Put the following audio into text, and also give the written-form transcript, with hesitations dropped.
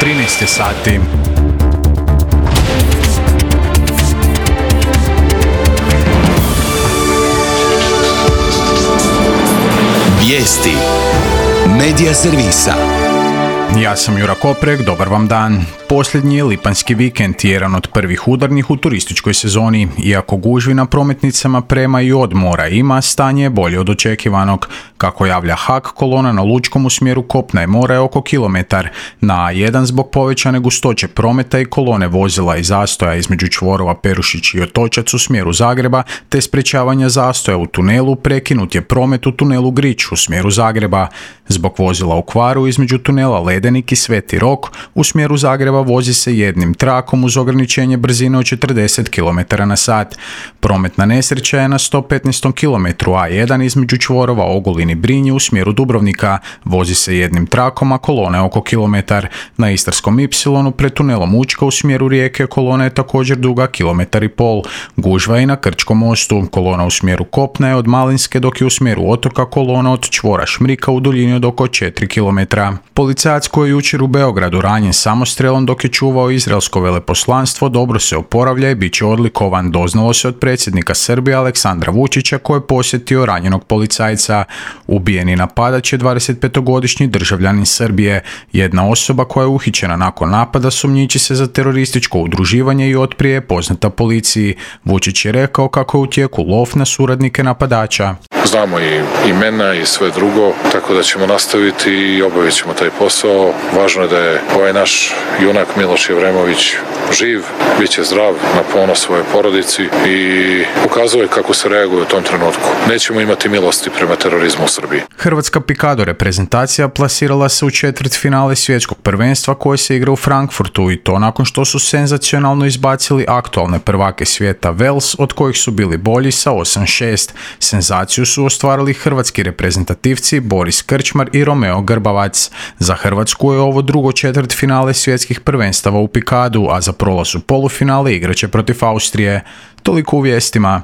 13 sati. Vijesti Medija servisa. Ja sam Jura Koprek, dobar vam dan. Posljednji je lipanjski vikend, jedan od prvih udarnih u turističkoj sezoni. Iako gužvi na prometnicama prema i od mora ima, stanje je bolje od očekivanog. Kako javlja HAK, kolona na Lučkom u smjeru kopna i mora je oko kilometar. Na A1 zbog povećane gustoće prometa i kolone vozila i zastoja između čvorova Perušić i Otočac u smjeru Zagreba, te sprečavanja zastoja u tunelu, prekinut je promet u tunelu Grič u smjeru Zagreba. Zbog vozila u kvaru između tunela Ledenik i Sveti Rok u smjeru Zagreba vozi se jednim trakom uz ograničenje brzine od 40 km/h. Prometna nesreća je na 115. km A1 između čvorova Ogulin i Brinje u smjeru Dubrovnika. Vozi se jednim trakom, a kolona je oko kilometar. Na Istarskom Y pred tunelom Učka u smjeru Rijeke kolona je također duga 1,5 km. Gužva je i na Krčkom mostu. Kolona u smjeru kopna je od Malinske, dok je u smjeru otoka kolona od čvora Šmrika u duljini od oko 4 km. Policajac koji je jučer u Beogradu ranjen samostrelom dok je čuvao izraelsko veleposlanstvo dobro se oporavlja i bit će odlikovan, doznalo se od predsjednika Srbije Aleksandra Vučića koji je posjetio ranjenog policajca. Ubijeni napadač je 25-godišnji državljanin Srbije. Jedna osoba koja je uhićena nakon napada sumnjiči se za terorističko udruživanje i otprije je poznata policiji. Vučić je rekao kako je u tijeku lov na suradnike napadača. Znamo i imena i sve drugo, tako da ćemo nastaviti i obavit ćemo taj posao. Važno je da je ovaj naš junak Miloš Jevremović živ, bit će zdrav, na ponos svoje porodici i ukazuje kako se reaguje u tom trenutku. Nećemo imati milosti prema terorizmu u Srbiji. Hrvatska pikado reprezentacija plasirala se u četvrtfinale svjetskog prvenstva koje se igra u Frankfurtu i to nakon što su senzacionalno izbacili aktualne prvake svijeta Wales, od kojih su bili bolji sa 8-6. Senzaciju su ostvarili hrvatski reprezentativci Boris Krčmar i Romeo Grbavac. Za Hrvatsku je ovo drugo četvrtfinale svjetskih prvenstava u pikadu, a za prolaz u polufinale igraće protiv Austrije. Toliko u vijestima.